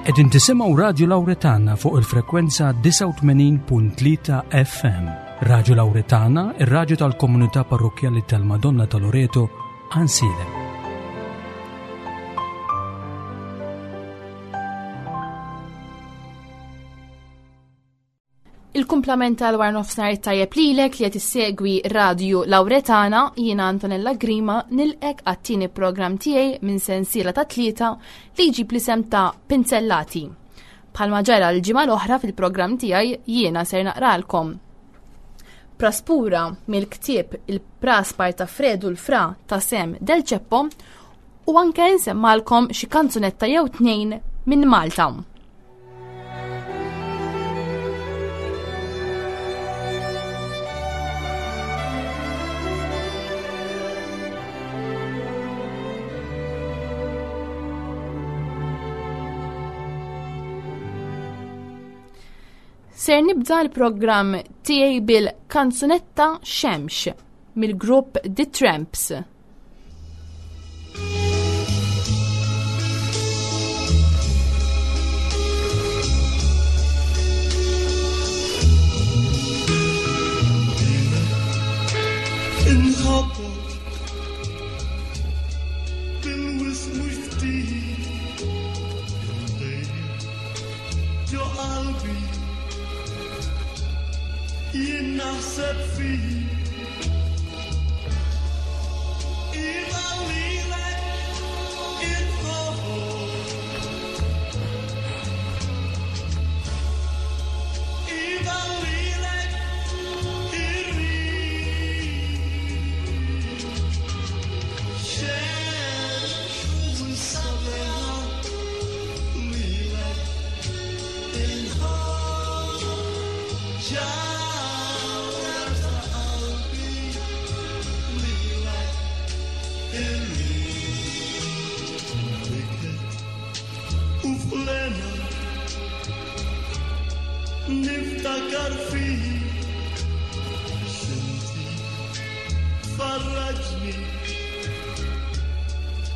Qegħdin tisimgħu Radju Lawretana fuq il-frekwenza 89.3 FM. Radju Lawretana, ir-radju tal-komunità parrokkjali tal-Madonna ta' Loreto, Ansilem. Il-kumplament tal-war nofsinhar it-tajjeb lilek li qed issegwi Radju Lawretana, jiena Antonella Grima nilqek għat-tieni programm tiegħi minn sensiela ta' tlieta li jġib l-isem ta' Pinzellati. Bħalma ġara l-ġimgħa l-oħra fil-programm tiegħi jiena ser naqralkom Praspura mill-ktieb Il-Praspar ta' Fredu l-Fra ta' Sem Del Ceppo u anke nsemmalkom xi kanzunetta jew tnejn minn Malta. Ser nibda l-programm tiegħi bil-kanzunetta Xemx mill-grupp The Tramps. Jien naħseb fik. Niftakar fik Xinti Farraġni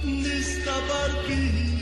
Nistabar bik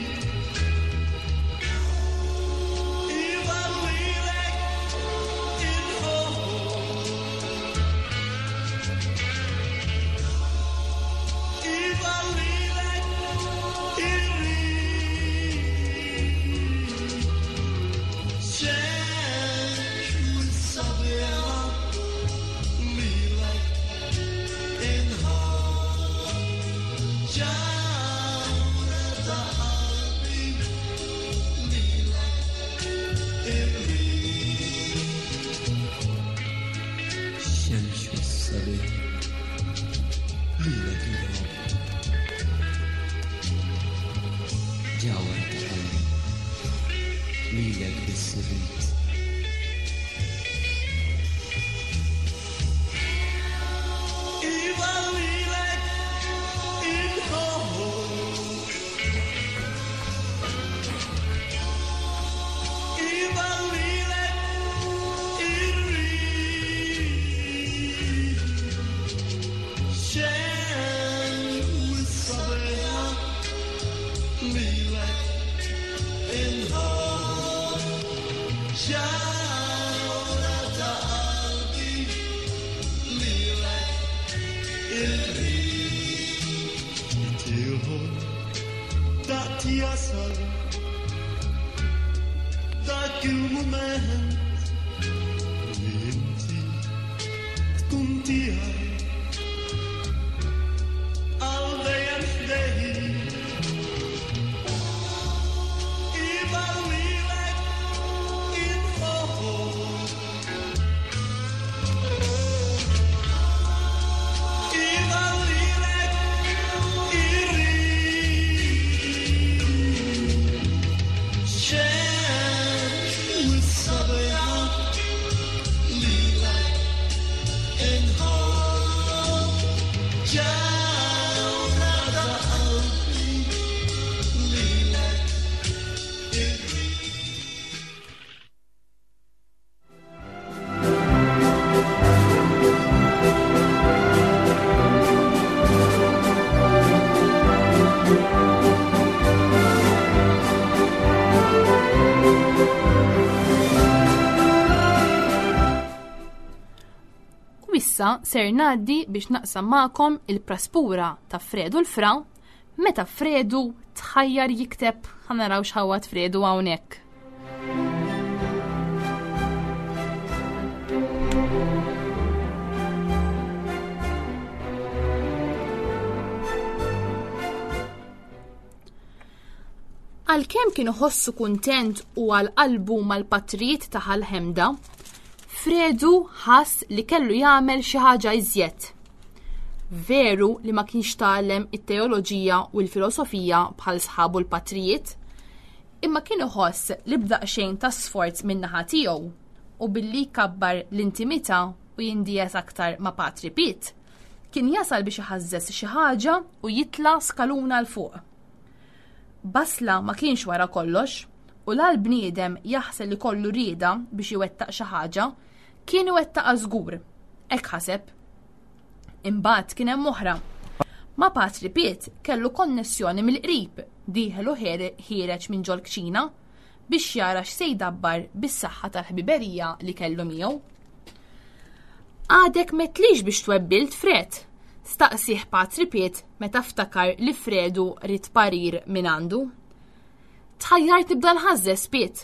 Issa ser ngħaddi biex naqsam magħkom il-praspura ta' Fredu l-Fra meta Fredu tħajjar jikteb ħa naraw x'ħawad Fredu hawnhekk. Għalkemm kien iħossu kuntent u għal qalbu mal-patrijiet ta' Ħal-Ħemda, Fredu ħass li kellu jagħmel xi ħaġa iżjed. Veru li ma kienx tgħallem it-teoloġija u l-filosofija bħal sħabu l-patrijiet, imma kien iħoss li b'daqsxejn ta' sforz min-naħa tiegħu u billi jkabbar l-intimità u jindies aktar ma' Patri Piet, kien jasal biex iħażżeż xi ħaġa u jitla' skaluna 'l fuq. Basla ma kienx wara kollox, u la l-bniedem jaħsel li kollu rieda biex iwettaq xi ħaġa, kien iwettaqha żgur. Hekk ħaseb. Imbagħad kien hemm oħra. Ma' Patri Piet kellu konnessjoni mill-qrib, dieħel u ħiereġ minn ġol-kċina biex jara x'se jdabbar bis-saħħa tal-ħbiberija li kellu miegħu. Għadek m'għedtlix biex twebbilt, Fred? staqsieh Patri Piet meta ftakar li Fredu ried parir mingħandu. Tħajjart nibda nħażżeż, Piet.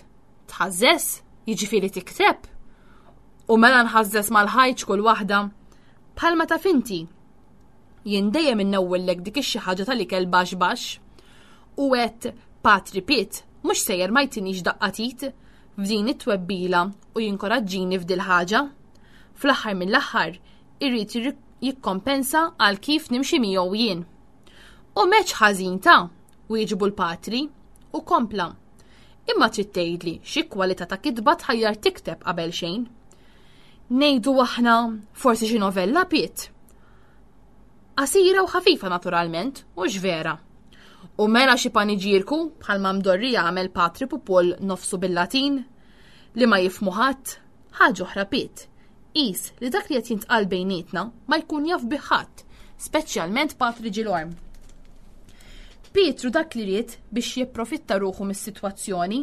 Tħażżeż? Jiġifieri tikteb? U mela nħażżeż mal-ħajġ kull waħda. Bħalma taf inti. Jien dejjem innewwillek dik ix-xi ħaġa tal-ikel baxx baxx. U għedt Patri Piet mhux sejjer ma jtinix daqqa t'id f'din it-twebbila u jinkoraġġini f'dil-ħaġa. Fl-aħħar mill-aħħar irid jikkompensa għal kif nimxi miegħu jien. U meċ ħażin ta' wieġbu l-patri u kompla. Imma trid tgħidli xi kwalità ta' kitba tħajjar tikteb qabel xejn. Ngħidu aħna forsi xi novella piet. Qasira u ħafifa naturalment, u vera. U mela xi paniġierku bħalma mdorri jagħmel Patri Pupol nofsu bil-Latin li ma jifmu ħadd, ħaġa oħra piet. Qis li dak li qed jintqal bejnietna ma jkun jaf bih ħadd, speċjalment Patri Ġilorm. Pietru dak li ried biex jipprofitta ruħu mis-sitwazzjoni.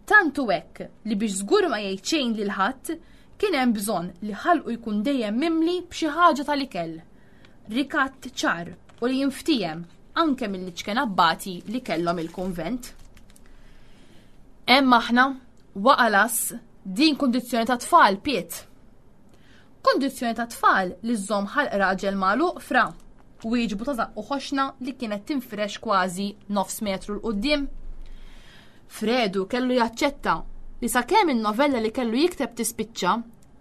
Tant hu hekk li biex żgur ma jgħid xejn lil ħadd, kien hemm bżonn li ħalqu jkun dejjem mimli b'xi ħaġa tal-ikel. Rikatt ċar u li jinftiehem anke mill-iċken abbati li kellhom il-kunvent. Hemm aħna, waqa' l-ass, din kundizzjoni ta' tfal, Piet. Kundizzjoni ta' tfal li żżomm ħalq raġel magħluq fra wieġbu ta' żaqqu ħoxna li kienet tinfirex kważi nofs metru 'l quddiem. Fredu kellu jaċċetta li sakemm in-novella li kellu jikteb tispiċċa,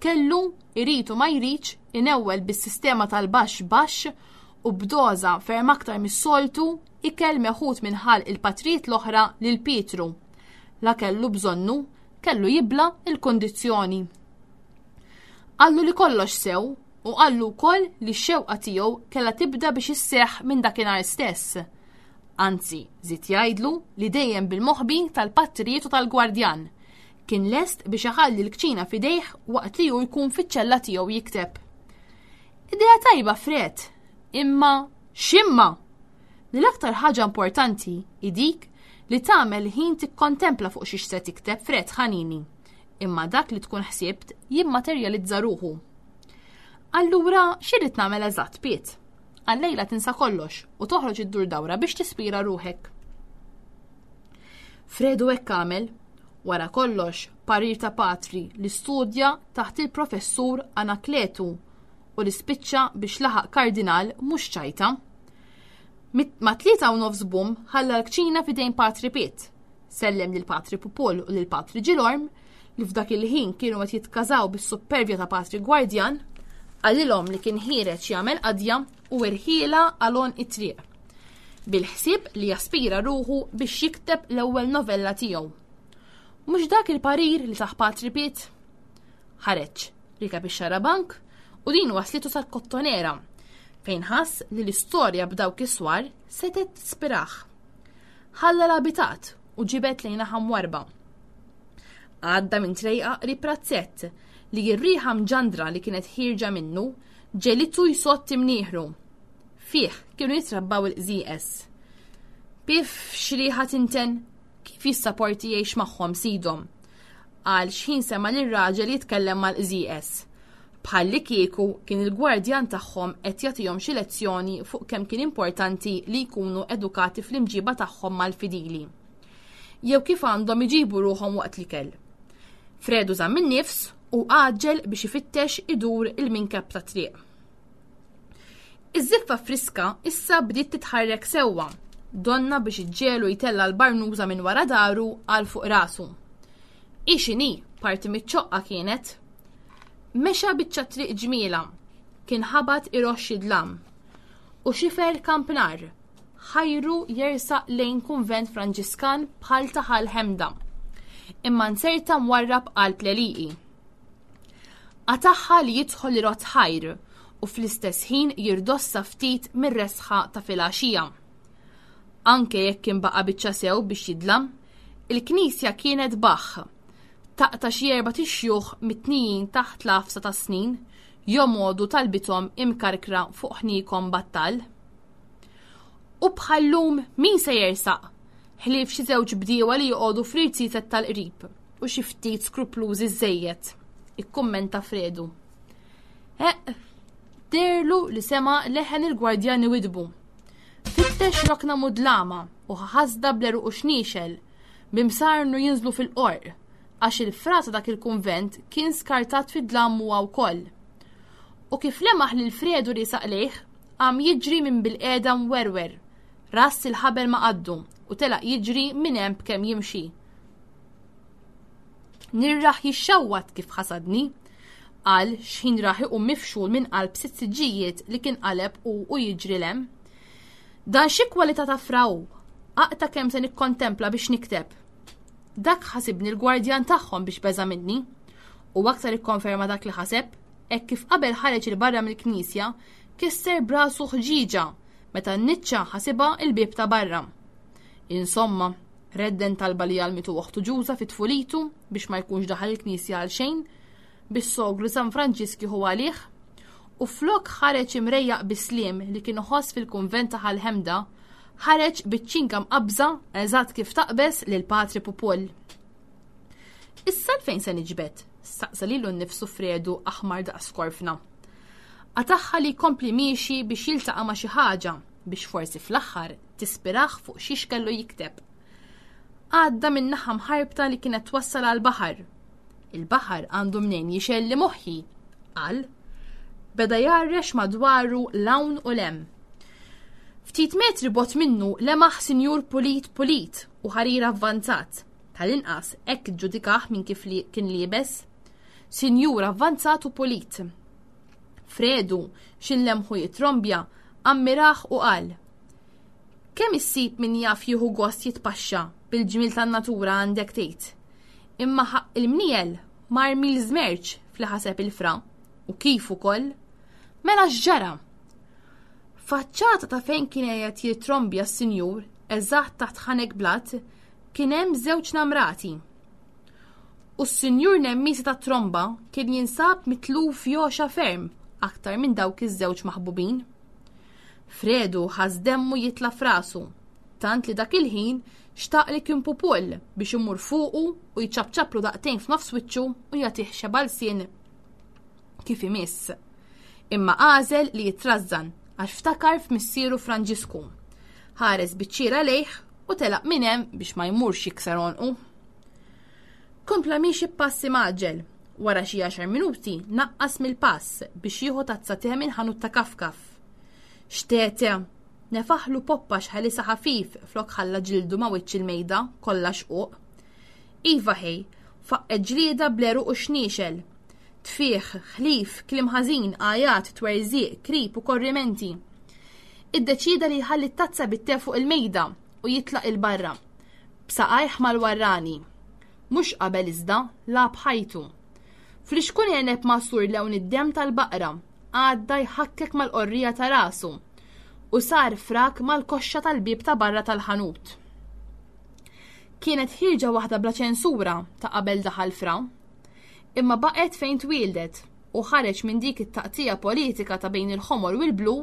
kellu, irid u ma jridx, inewwel bis-sistema tal-baxx baxx u b'doża ferm aktar mis-soltu ikel meħud minn ħalq il-patrijiet l-oħra lil Pietru. La kellu bżonnu, kellu jibla' il-kundizzjoni. Qallu li kollox sew u qallu wkoll li x-xewqa tiegħu kellha tibda biex isseħħ minn dakinhar stess. Anzi, żied jgħidlu li dejjem bil-moħbi tal-patrijiet u tal-gwardjan. Kien lest biex iħalli l-kċina f'idejh waqt li hu jkun fiċ-ċella tiegħu jikteb. Idea tajba, Fred, imma x'imma? Li l-aktar ħaġa importanti hi dik li tagħmel ħin tikkontempla fuq xiex se tikteb, Fred ħanini. Imma dak li tkun ħsibt jimmaterjalizza ruħu. Allura x'irrid nagħmel eżatt, Piet? Għal-lejla tinsa kollox u toħroġ iddur dawra biex tispira ruħek. Fredu hekk għamel, wara kollox, parir ta' patri li studja taħt il-professur Anakletu u li spiċċa biex laħaq kardinal mhux ċajta. Ma 3:30 bum ħalla l-kċina f'idejn Patri Piet. Sellem lil Patri Pupol u lil Patri Ġilorm li f'dak il-ħin kienu qed jitkażaw bis-suppervja ta' Patri Gwardjan, qalilhom li kien ħiereġ jagħmel qadja u irħiela għal għonq it-triq. Bil-ħsieb li jaspira ruħu biex jikteb l-ewwel novella tiegħu. Mhux dak il-parir li tah Patri Piet? Ħareġ, rikeb ix-xarabank u din waslitu sal-Kottonera fejn ħass li l-istorja b'dawk is-swar setgħet tispirah. Ħalla l-abitat u ġibed lejn naħa mwarrba. Għadda minn trejqa qrib razzett li r-riħa mġandra li kienet ħierġa minnu ġegħlitu jsott imnieħru. Fih kienu jitrabbaw il-qżieqeż. Piff x'riħa tinten! Kif jissaporti jgħix magħhom sidhom? Qal xħin sema' lir-raġel jitkellem mal-qżieqeż. Bħallikieku kien il-gwardjan tagħhom qed jagħtihom xi lezzjoni fuq kemm kien importanti li jkunu edukati fl-imġiba tagħhom mal-fidili. Jew kif għandhom iġibu ruħhom waqt l-ikel. Fredu żamm in-nifs u għaġġel biex ifittex idur il-minkeb ta' triq. Iż-żiffa friska issa bdiet titħarrek sewwa, donna biex iġġelu jtella l-barnuża minn wara daru għal fuq rasu. Hi x'inhi, parti miċ-ċoqqa kienet. Mexa biċċa triq ġmiela, kien ħabat iroxx id-dlam. U xifer kampnar, ħajru jersaq lejn kunvent Franġiskan bħal ta' Ħal Ħemda. Imma nzerta mwarrab qalb l-għelieqi. Qatagħha li jidħol irodd ħajr u fl-istess ħin jirdossa ftit mir-resħa ta' filgħaxija. Anke jekk kien baqa' biċċa sew biex jidlam, il-knisja kienet baħħ. Taqta' xi erbat ixjuħ mitnijin taħt l-għafsa tas-snin jomogħdu talbithom imkarkra fuq ħniekom battal. U bħal-lum min se jersaq? Ħlief xi żewġ bdiewa li joqogħdu fl-irziezet tal-qrib u xi ftit skruplużi żejjed, ikkummenta Fredu. Eqq, deherlu li sema' leħen il-gwardjan iwiddbu. Fittex rokna mudlama u ħasda bl-għeruq u xniexel, b'imsarnu jinżlu fil-qorq, għax il-fra ta' dak il-kunvent kien skartat fid-dlam huwa wkoll. U kif lemaħ lil Fredu riesaq lejh, qam jiġri minn bilqiegħda mwerwer, rass il-ħabel ma' qaddu u telaq jiġri minn hemm b'kemm jimxi. Nirraħ jixxawwat kif ħasadni, qal x'ħin rah iqum mifxul minn qalb sitt siġġijiet li kien qaleb hu u jiġri 'l hemm. Dan xi kwalità ta' fra hu? Aqta' kemm se nikkontempla biex nikteb. Dak ħasibni l-gwardjan tagħhom biex beża' minni. U aktar ikkonferma dak li ħaseb, hekk kif qabel ħareġ 'il barra mill-knisja, kisser b'rasu ħġieġa meta n-niċċa ħasibha l-bieb ta' barra. Insomma, redden talba li għallmitu oħtu Ġuża fi tfulitu biex ma jkunx daħal il-knisja għal xejn, bis-sogru San Franġisk jieħu għalih, u flok ħareġ imrejjaq bis-sliem li kien iħoss fil-kunvent ta' Ħal Ħemda, ħareġ biċ-ċinga mqabbża eżatt kif taqbeż lil Patri Pupull. Issa fejn se niġbed? staqsa lilu nnifsu Fredu aħmar daqs korfna. Qatagħha li jkompli miexi biex jiltaqa' ma' xi ħaġa biex forsi fl-aħħar tispirah fuq xiex kellu jikteb. Għadda minn naħa mħarbta li kienet twassal għall-baħar. Il-baħar għandu mnejn jixelli moħħi, qal. Beda jgħarrex madwaru 'l hawn u 'l hemm. Ftit metri bogħod minnu lemaħ sinjur pulit pulit u ħarir avvanzat. Tal-inqas hekk iġġudikah minn kif li kien liebes. Sinjur avvanzat u pulit. Fredu, x'inlemħu jitrombja, ammirah u qal, Kemm issib min jaf jieħu gost jitpaxxa bil-ġmiel tan-natura għandek tgħid. Imma ħaqq il-mniel mar mil żmerċ f'li ħaseb il-fra, u kif ukoll. Mela x'ġara? Faċċata ta' fejn kien qiegħed jitrombja s-sinjur, eżatt taħt ħanek blat, kien hemm żewġ namrati. U s-sinjur Nemmisi tat-tromba kien jinsab mitluf jogħxa ferm aktar minn dawk iż-żewġ maħbubin. Fredu ħass demmu jitla' f'rasu, tant li dak il-ħin xtaq li kien pupull biex imur fuqu u jċapċaplu daqtejn f'nofs wiċċu u jagħtih xeba' lsien kif imiss. Imma għażel li jitrażżan għax ftakar f'missieru Franġisku. Ħares biċ-ċiera lejh u telaq minn hemm biex ma jmurx jikser għonqu. Kompla miexi b'pass imgħaġġel. Wara xi għaxar minuti naqqas mill-pass biex jieħu tazza te minn ħanut ta' kafkaf. Xtete! Nefaħlu poppa x'ħelisa ħafif flok ħalla ġildu ma' wiċċ il-mejda kollha xquq. Iva ħej, faqqgħet ġlieda bl-għeruq u xniexel. Tfigħ, ħlif, kliem ħażin, għajat, twerżiq, krib u korrimenti. Iddeċieda li jħalli t-tazza bit-te fuq il-mejda u jitlaq 'il barra. B'saqajh mal-warrani. Mhux qabel iżda, lagħab ħajtu. Flixkun għeneb magħsur lewn id-demm tal-baqra għadda jħakkek mal-qorrija ta' rasu u sar frak mal-koxxa tal-bieb ta' barra tal-ħanut. Kienet ħierġa waħda bla ċensura ta' qabel daħal fra. Imma baqgħet fejn twieldet u ħareġ minn dik it-taqtigħa politika ta' bejn il-ħomor u l-blu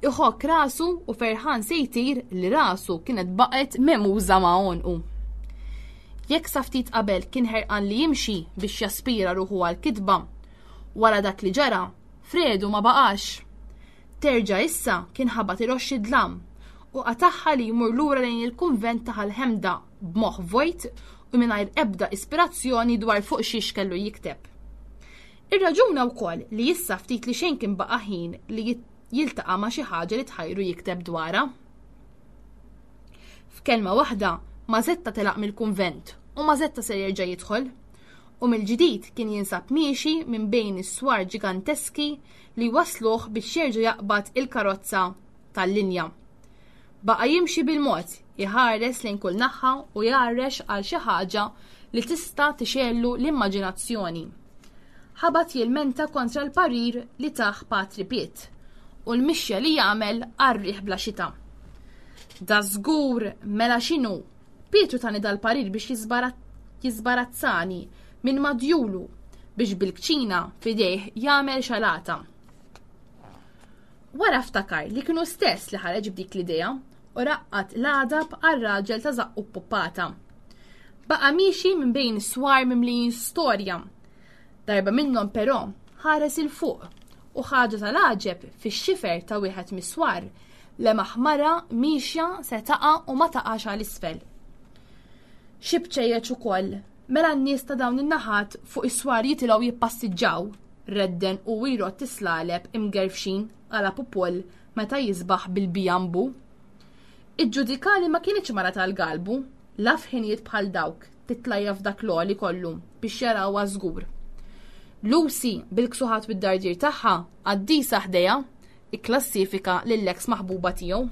iħokk rasu u ferħan se jtir li rasu kienet baqgħet memuża ma' għonqu. Jekk sa ftit qabel kien ħerqan li jimxi biex jaspira ruħu għall-kitba, Wara dak li ġara, Fredu ma baqax. Terġa' issa kien ħabat iroxx id-dlam u qatagħha li jmur lura lejn il-kunvent ta' Ħal-Ħemda b'moħħ vojt u mingħajr ebda ispirazzjoni dwar fuq xiex kellu jikteb. Irraġuna wkoll li issa ftit li xejn kien baqa' ħin li jiltaqa' ma' xi ħaġa li tħajru jikteb dwarha. F'kelma waħda, Mażetta telaq mill-kunvent u Mażetta ser jerġa' jidħol. U mill-ġdid kien jinsab miexi minn bejn is-swar ġiganteski li wassluh biex jerġa' jaqbad il-karozza tal-linja. Baqa' jimxi bil-mod, iħares lejn kull naħa u jgħarrex għal xi ħaġa li tista' tixgħellu l-immaġinazzjoni. Ħabat jilmenta kontra l-parir li tah Patri Piet u l-mixja li jagħmel għar-riħ bla xita. Da żgur mela x'inhu Pietru tani dal-parir biex jiżbarazzani minn madjulu biex bil-kċina f'idejh jagħmel xalata. Wara ftakar li kienu stess li ħareġ b'dik l-idea u raqqat l-għadab għar-raġel ta' żaqqu ppuppata. Baqa' miexi minn bejn is-swar mimlijin storja. Darba minnhom però ħares 'il fuq u ħaġa tal-għaġeb fix-xifer ta' wieħed mis-swar lemaħ mara miexja se taqa' u ma taqax għal isfel. Xi bċejjeċ ukoll, mela n-nies ta' dawn in-naħat fuq is-swar jitilgħu jippassiġġaw, redden u jrott is-slaleb imgerfxin għala pupoll meta jisbaħ bil-bijambu. Iġġudika li ma kinitx mara tal-galbu, la f'ħinijiet bħal dawk titlajja f'dak l-għoli kollu biex jarawha żgur. Lucy, bil-ksuħat u d-dardir tagħha, qaddisa ħdejha, ikklassifika lill-eks maħbuba tiegħu.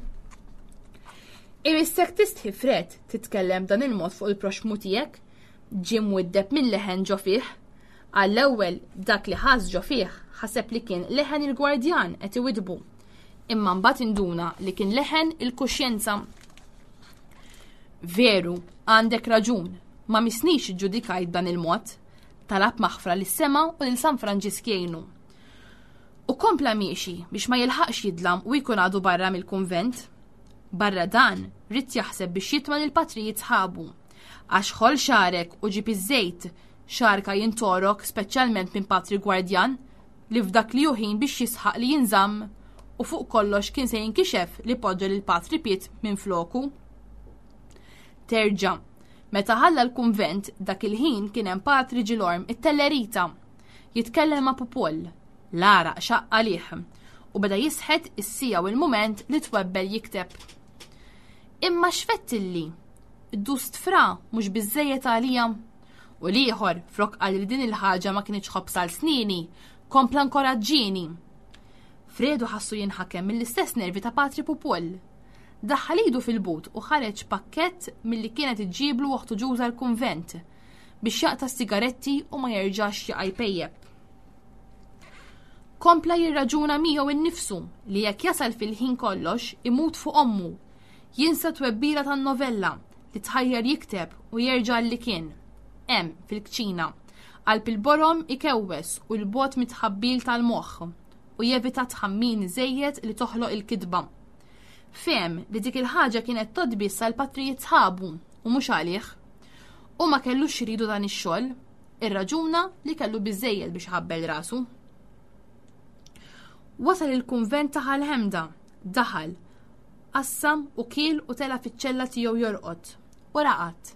Imissek tistħi Fred titkellem b'dan il-mod fuq il-proxxmu tiegħek, ġie mwiddeb minn leħen ġo fih. Għall-ewwel dak li ħass ġo fih ħaseb li kien leħen il-gwardjan qed iwiddbu. Imma mbagħad induna li kien leħen il-kuxjenza. Veru, għandek raġun, ma misnix iġġudikajt b'dan il-mod. Talab maħfra lis-sema u lil San Franġisk jgħinu. U kompla miexi biex ma jilħaqx jidlam u jkun għadu barra mill-kunvent. Barra dan, ried jaħseb biex jitma' lill-patrijiet sħabu. Għax ħoll xagħrek u ġib iż-żejt, xagħarka jintorok speċjalment minn patri gwardjan li f'dak li hu ħin biex jisħaq li jinżamm u fuq kollox kien se jinkixef li poġġa lil patri Piet minfloku. Terġa', meta ħalla l-kunvent dak il-ħin kien hemm patri Ġilorm it-Tellerita jitkellem ma' Pupoll, l-għaraq xaqq għalih u beda jisħet is-siegħa u l-mument li twebbel jikteb. Imma x'fettilli? Id-dust fra mhux biżżejjed għalija? U l-ieħor, flok qal li din il-ħaġa ma kinitx ħobż għal snieni, kompla nkoraġġieni. Fredu ħassu jinħakem mill-istess nervi ta' Patri Pupoll. Daħħal idu fil-but u ħareġ pakkett milli kienet iġġiblu oħtu Ġuża l-kunvent biex jaqta' s-sigaretti u ma jerġax jaqa' jpejjep. Kompla jirraġuna miegħu innifsu li jekk jasal fil-ħin kollox imut fuq ommu, jinsa twebbila tan-novella li tħajjar jikteb u jerġa' li kien. Hemm, fil-kċina, qalb il-borom ikewwes u l-bogħod mit-tħabbil tal-moħħ u jevita tħammin żejjed li toħloq il-kitba. Fehem li dik il-ħaġa kienet tgħodd biss għall-patrijiet sħabu u mhux għalih. Hu ma kellux x'iridu dan ix-xogħol, irraġuna li kellu biżżejjed biex iħabbel rasu. Wasal il-kunvent ta' Ħal-Ħemda, daħal, qassam u kiel u tela' fiċ-ċella tiegħu jorqod, u raqad.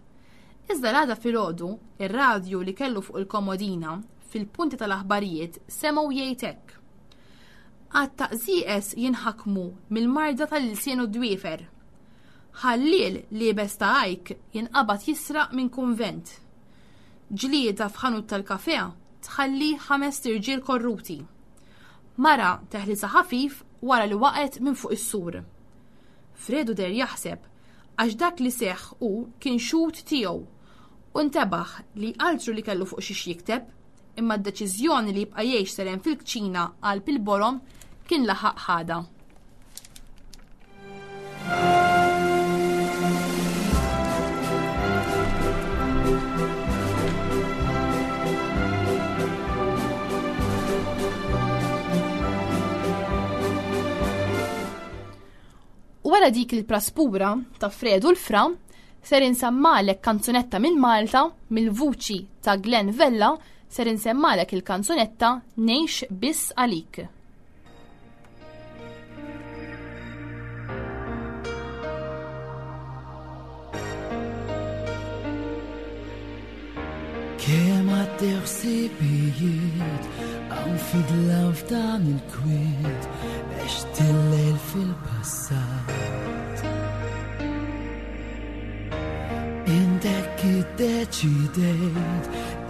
Iżda l-għada filgħodu, ir-radju li kellu fuq il-komodina, fil-punti tal-aħbarijiet semgħu jgħid hekk. Għadd ta' qżieqeż jinħakmu mill-marda tal-ilsien u d-dwiefer. Ħalliel liebes ta' ajk jinqabad jisraq minn kunvent. Ġlieda f'ħanut tal-kafè tħalli ħamest irġiel korruti. Mara teħlisha ħafif wara li waqgħet minn fuq is-sur. Fredu deher jaħseb għax dak li seħħ hu kien xhud tiegħu u ntebaħ li altru li kellu fuq xiex jikteb imma d-deċiżjoni li jibqa' jgħix seren fil-kċina qalb il-borom kien laħaq ħadha. Wara dik il-praspura ta' Fredu l-Fra, ser insammalek kanzunetta minn Malta mill-vuċi ta' Glenn Vella. ser insemmalek il-kanzunetta Ngħix biss għalik. Kemm għaddew ħsibijiet hawn fidla f'dan il-kwiet għext il-lejl fil-passat. Intek iddeċidejt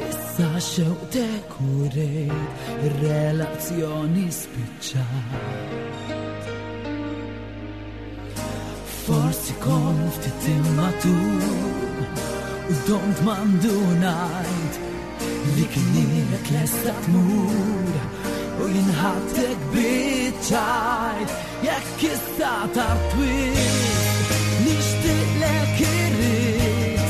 issa xewqtek u rejt ir-relazzjoni spiċċat. Forsi kont ftit immatur u domt mandunajt li kienet lesta tmur u jinħattek biċ-ċajt jekk issa tard wisq nixtieqlek irrid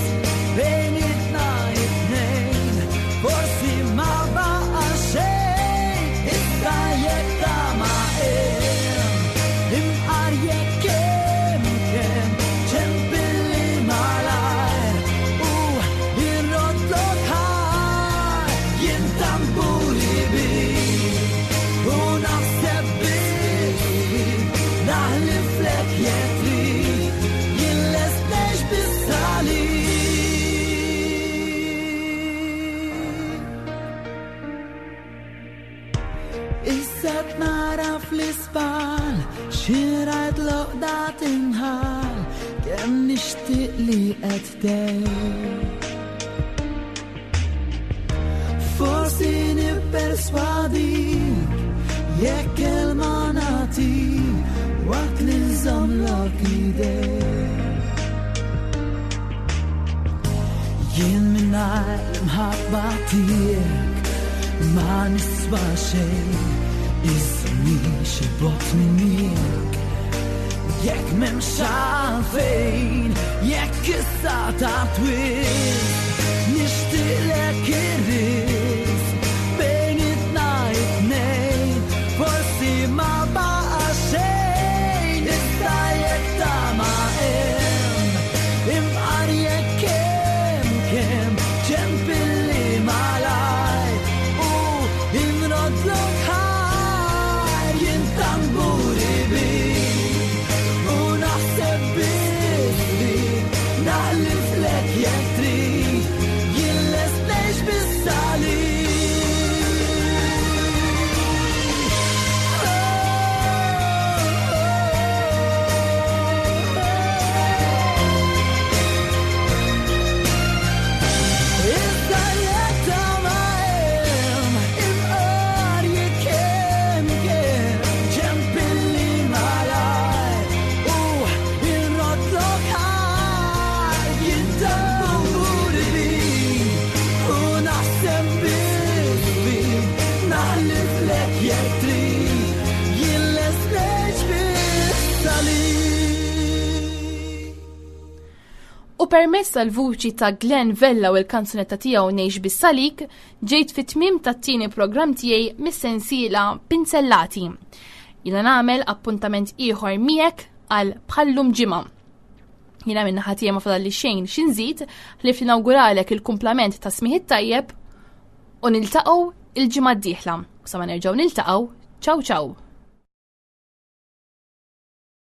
bejnietna it-tnejn forsi ma baqa' xejn iżda jekk ta' ma hemm imqar jekk hemm kemm ċempilli malajr u irroddlok ħaj jien tamburi bik u naħseb biss naħliflek jekk trid jien lest ngħix biss għalik. Issa nara fl-isbal xi rajt l-għoqda tinħall kemm nixtieq li qed tgħid. Forsi nipperswadik jekk kelma nagħtik waqt li nżommlok idejk. Jien mingħajr l-imħabba tiegħek ma niswa xejn, iżżommnix il-bogħod minnek. Jekk m'hemmx għalfejn, jekk issa tard wisq, nixtieqlek ir-risq bejnietna it-tnejn, forsi ma baqa' xejn, iżda jekk ta' ma hemm, imqar jekk hemm kemm ċempilli malajr u inroddlok ħajr jien tamburi bik u naħseb biss fik naħliflek jekk trid jien lest ngħix biss għalik. Iżda jekk ta' ma hemm, imqar jekk hemm kemm, ċempilli malajr u inroddlok ħajr. Jien tamburi bik u naħseb biss fik, naħliflek jekk trid, jien lest ngħix biss għalik. U permezz tal-vuċi ta' Glenn Vella u l-kanzunetta tiegħu Ngħix biss għalik, ġejt fit-tmiem tat-tieni programm tiegħi mis-sensiela Pinzellati. Jiena nagħmel appuntament ieħor miegħek għal bħallum ġimgħa. Jiena minn naħa tiegħi ma fadalli xejn xi nżid ħlief li nawguralek il-kumplament ta' smigħ it-tajjeb u niltaqgħu il-ġimgħa d-dieħla. U sa ma nerġgħu niltaqgħu, ciao ciao.